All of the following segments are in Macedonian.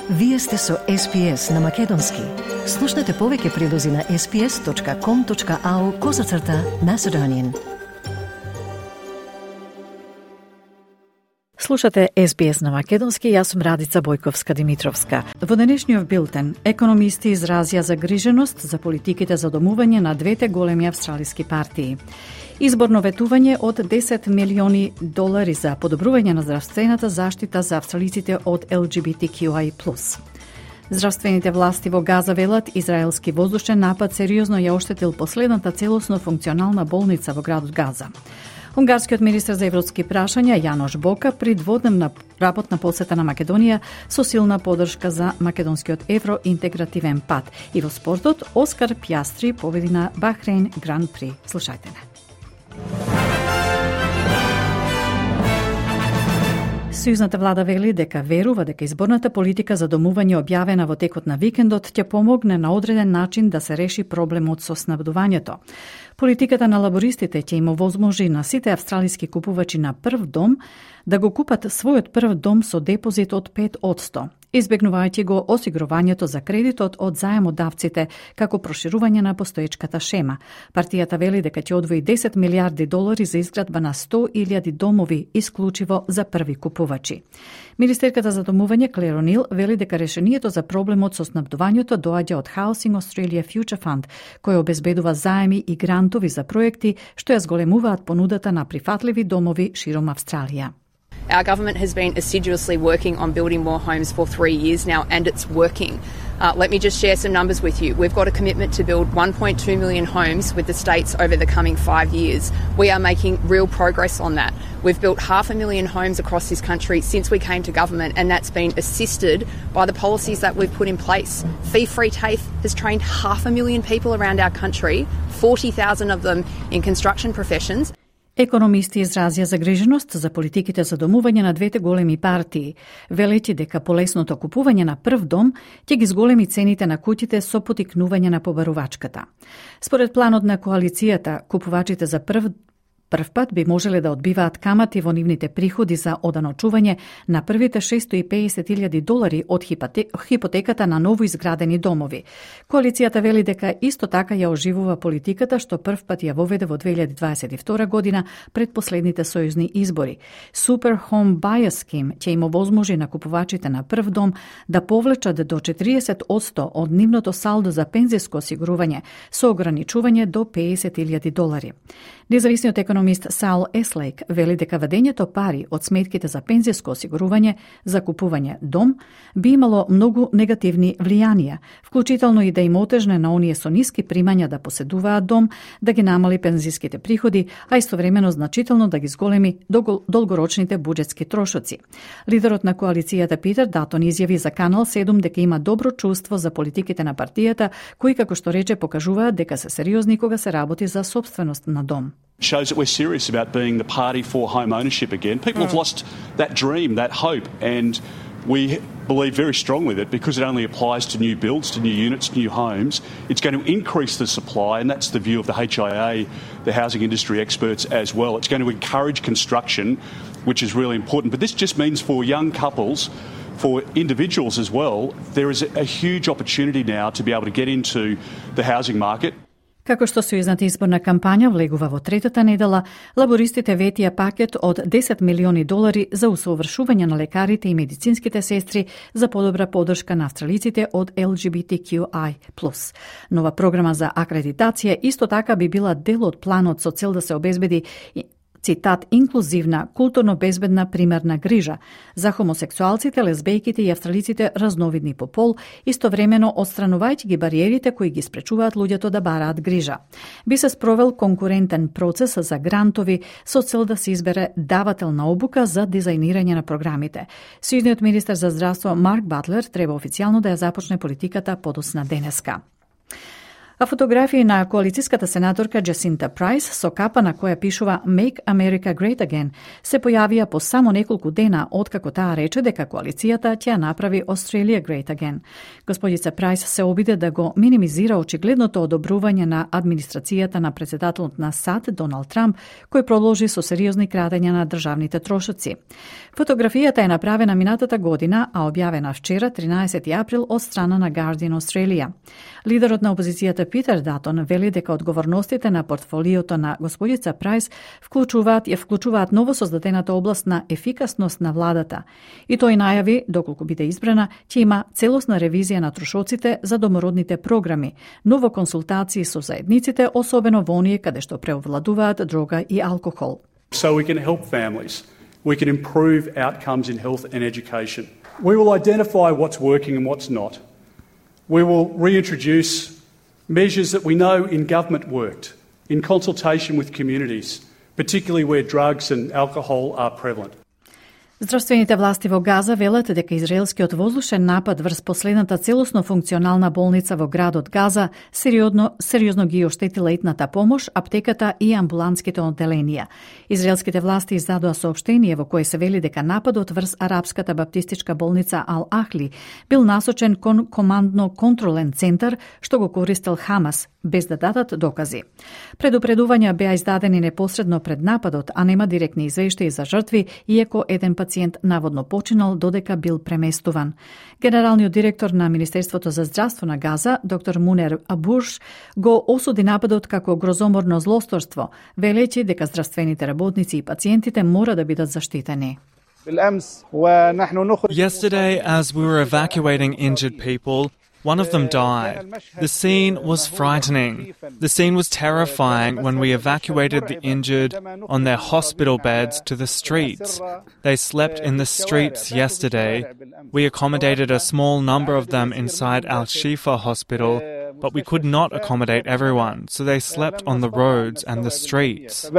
Вие сте со SPS на Македонски. Слушнете повеќе прилози на sps.com.au/Macedonian. Слушате SBS на Македонски, јас сум Радица Бојковска-Димитровска. Во денешниот билтен, економисти изразија загриженост за политиките за домување на двете големи австралиски партии. Изборно ветување од $10 милиони за подобрување на здравствената заштита за австралиците од LGBTQI+. Здравствените власти во Газа велат израелски воздушен напад сериозно ја оштетил последната целосно функционална болница во градот Газа. Унгарскиот министер за европски прашања Јанош Бока при дводневна работна посета на Македонија со силна поддршка за македонскиот евроинтегративен пат. И во спортот Оскар Пјастри победи на Бахрейн Гран При. Слушајте не. Сојузната влада вели дека верува дека изборната политика за домување објавена во текот на викендот ќе помогне на одреден начин да се реши проблемот со снабдувањето. Политиката на лабористите ќе им овозможи на сите австралиски купувачи на прв дом да го купат својот прв дом со депозит од 5%, избегнувајќи го осигурувањето за кредитот од заемодавците како проширување на постоечката шема. Партијата вели дека ќе одвои $10 милиарди за изградба на 100,000 домови исклучиво за први купувачи. Министерката за домување Клер О'Нил вели дека решението за проблемот со снабдувањето доаѓа од Housing Australia Future Fund, кој обезбедува заеми и грантови за проекти што ја зголемуваат понудата на прифатливи домови широм Австралија. Our government has been assiduously working on building more homes for 3 years now, and it's working. Let me just share some numbers with you. We've got a commitment to build 1.2 million homes with the states over the coming 5 years. We are making real progress on that. We've built 500,000 homes across this country since we came to government, and that's been assisted by the policies that we've put in place. Fee-free TAFE has trained 500,000 people around our country, 40,000 of them in construction professions. Економисти изразија загриженост за политиките за домување на двете големи партии, велејќи дека полесното купување на прв дом ќе ги зголеми цените на куќите со потикнување на побарувачката. Според планот на коалицијата, купувачите за прв пат би можеле да одбиваат камати во нивните приходи за оданочување на првите $650,000 од хипотеката на ново изградени домови. Коалицијата вели дека исто така ја оживува политиката што прв пат ја воведе во 2022 година пред последните сојузни избори. Super Home Buyer Scheme ќе им овозможи на купувачите на прв дом да повлечат до 40% од нивното салдо за пензиско осигурување со ограничување до $50,000. Независниот економист Саул Еслейк вели дека вадењето пари од сметките за пензиско осигурување за купување дом би имало многу негативни влијанија, вклучително и да им отежне на оние со ниски примања да поседуваат дом, да ги намали пензиските приходи, а истовремено значително да ги зголеми долгорочните буџетски трошоци. Лидерот на коалицијата Питер Датон изјави за Канал 7 дека има добро чувство за политиките на партијата, кои како што рече покажуваат дека се сериозни кога се работи за собственост на дом. Shows that we're serious about being the party for home ownership again. People have lost that dream, that hope, and we believe very strongly that because it only applies to new builds, to new units, new homes, it's going to increase the supply, and that's the view of the HIA, the housing industry experts as well. It's going to encourage construction, which is really important. But this just means for young couples, for individuals as well, there is a huge opportunity now to be able to get into the housing market. Како што сојузната изборна кампања влегува во третата недела, лабористите ветија пакет од $10 милиони за усовршување на лекарите и медицинските сестри за подобра поддршка на австралиците од LGBTQI+. Нова програма за акредитација исто така би била дел од планот со цел да се обезбеди цитат, инклузивна, културно безбедна примерна грижа за хомосексуалците, лесбејките и австралиците разновидни по пол, истовремено отстранувајќи ги бариерите кои ги спречуваат луѓето да бараат грижа. Би се спровел конкурентен процес за грантови со цел да се избере давател на обука за дизајнирање на програмите. Сојузниот министер за здравство Марк Батлер треба официјално да ја започне политиката подоцна денеска. А фотографии на коалицијската сенаторка Джасинта Прайс со капа на која пишува Make America Great Again се појавија по само неколку дена откако таа рече дека коалицијата ќе ја направи Australia Great Again. Господица Прайс се обиде да го минимизира очигледното одобрување на администрацијата на претседателот на САД Доналд Трамп, кој продолжи со сериозни крадења на државните трошоци. Фотографијата е направена минатата година, а објавена вчера 13 април од страна на Guardian Australia. Лидерот на опозицијата Питер Датон вели дека одговорностите на портфолиото на господица Прайс вклучуваат новосоздадената област на ефикасност на владата. И тој најави, доколку биде избрана, ќе има целосна ревизија на трошоците за домородните програми, ново консултации со заедниците, особено во оние каде што преовладуваат дрога и алкохол. So we can help families. We can improve outcomes in health and education. We will identify what's working and what's not. We will reintroduce measures that we know in government worked, in consultation with communities, particularly where drugs and alcohol are prevalent. Здравствените власти во Газа велат дека израелскиот воздушен напад врз последната целосно функционална болница во градот Газа сериозно ги оштетила итната помош, аптеката и амбулантските одделенија. Израелските власти издадоа соопштение во кое се вели дека нападот врз арапската баптистичка болница Ал Ахли бил насочен кон командно-контролен центар што го користел Хамас, без да дадат докази. Предупредувања беа издадени непосредно пред нападот, а нема директни извештаи за жртви, иако еден пациент наводно починал додека бил преместуван. Генералниот директор на Министерството за здравство на Газа, доктор Мунер Абурш, го осуди нападот како грозоморно злосторство, велејќи дека здравствените работници и пациентите мора да бидат заштитени. Yesterday, as we were evacuating injured people, one of them died. The scene was frightening. The scene was terrifying when we evacuated the injured on their hospital beds to the streets. They slept in the streets yesterday. We accommodated a small number of them inside Al-Shifa Hospital, but we could not accommodate everyone, so they slept on the roads and the streets.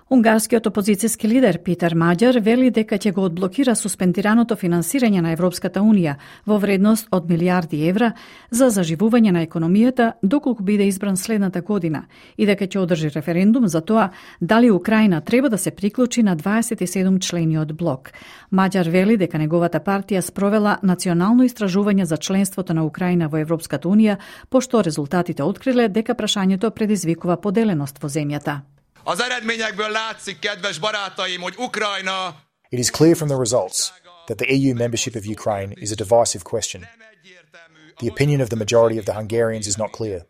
Унгарскиот опозицијски лидер Питер Маѓар вели дека ќе го одблокира суспендираното финансирање на Европската Унија во вредност од милиарди евра за заживување на економијата доколку биде избран следната година и дека ќе одржи референдум за тоа дали Украина треба да се приклучи на 27 члениот блок. Маѓар вели дека неговата партија спровела национално истражување за членството на Украина во Европската Унија, пошто резултатите откриле дека прашањето предизвикува поделеност во земјата. Az eredményekből látszik, kedves barátaim, hogy Ukrajna... It is clear from the results that the EU membership of Ukraine is a divisive question. The opinion of the majority of the Hungarians is not clear.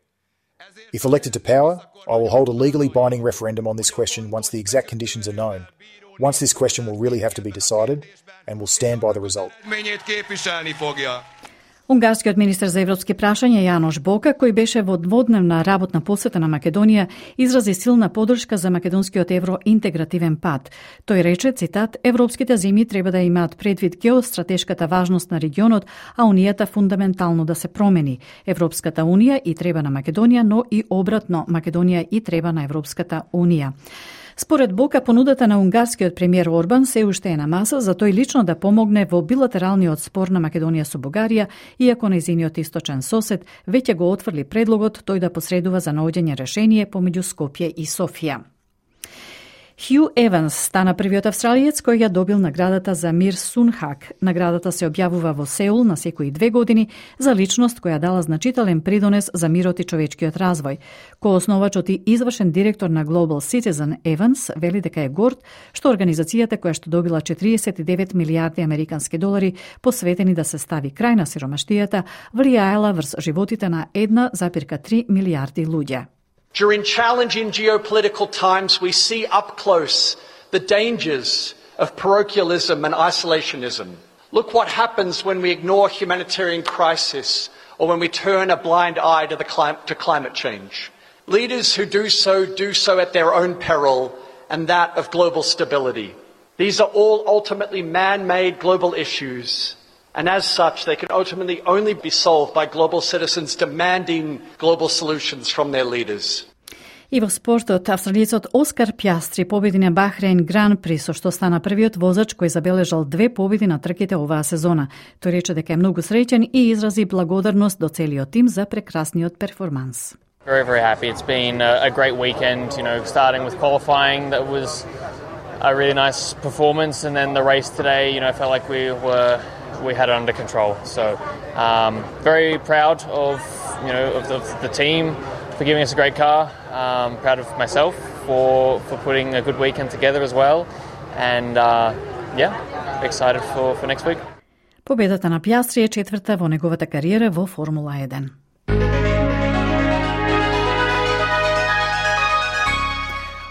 If elected to power, I will hold a legally binding referendum on this question once the exact conditions are known. Once this question will really have to be decided and will stand by the result. Унгарскиот министер за европски прашања Јанош Бока, кој беше во дводневна работна посета на Македонија, изрази силна поддршка за македонскиот евроинтегративен пат. Тој рече, цитат, европските земји треба да имаат предвид геостратешката важност на регионот, а Унијата фундаментално да се промени. Европската Унија и треба на Македонија, но и обратно, Македонија и треба на Европската Унија. Според Бока, понудата на унгарскиот премиер Орбан се уште е на маса за тој лично да помогне во билатералниот спор на Македонија со Бугарија, иако нејзиниот источен сосед веќе го отфрли предлогот тој да посредува за наоѓање решение помеѓу Скопје и Софија. Хју Еванс стана првиот австралиец кој ја добил наградата за мир Сунхак. Наградата се објавува во Сеул на секои 2 години за личност која дала значителен придонес за мирот и човечкиот развој. Коосновачот и извршен директор на Global Citizen Еванс вели дека е горд што организацијата која што добила 49 милиарди американски долари посветени да се стави крај на сиромаштијата влијаела врз животите на 1,3 милиарди луѓе. During challenging geopolitical times, we see up close the dangers of parochialism and isolationism. Look what happens when we ignore humanitarian crisis or when we turn a blind eye to climate change. Leaders who do so at their own peril and that of global stability. These are all ultimately man-made global issues. And as such, they can ultimately only be solved by global citizens demanding global solutions from their leaders. И во спортот, австралиецот Оскар Пјастри победи на Бахрейн Гран При, со што стана првиот возач кој забележал 2 победи на трките оваа сезона. Тој рече дека е многу среќен и изрази благодарност до целиот тим за прекрасниот перформанс. Very, very happy. It's been a great weekend, starting with qualifying. That was a really nice performance, and then the race today, felt like we had it under control. So very proud of the team for giving us a great car. Proud of myself for putting a good weekend together as well, and excited for next week. Победата на Пјастри е четврта во неговата кариера во Формула 1.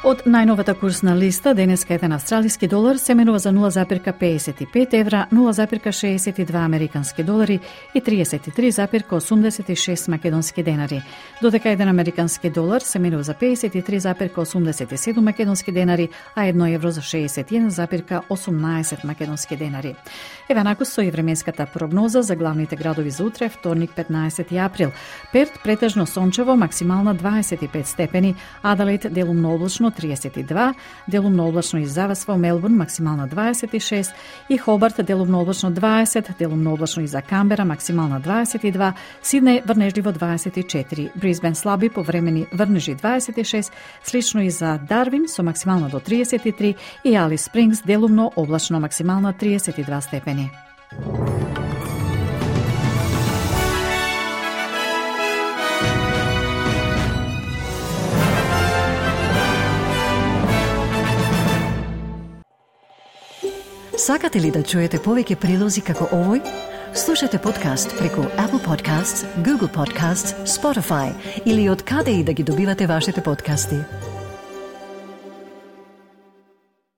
Од најновата курсна листа, денеска еден австралиски долар се менува за 0,55 евра, 0,62 американски долари и 33,86 македонски денари. Додека еден американски долар се менува за 53,87 македонски денари, а 1 евро за 61,18 македонски денари. Еве накус со и временската прогноза за главните градови за утре, вторник 15 април. Перт претежно сончево, максимална 25 степени, Аделаид делумно облачно 32, делумно облачно и завасва Мелбурн, максимална 26, и Хобарт делумно облачно 20, делумно облачно и за Камбера, максимална 22, Сиднеј врнежливо 24, Брисбен слаби повремени врнежи 26, слично и за Дарвин со максимална до 33 и Алис Спрингс делумно облачно, максимална 32 степени. Сакате ли да чуете повеќе прилози како овој? Слушате подкаст преку Apple Podcasts, Google Podcasts, Spotify или од каде и да ги добивате вашите подкасти.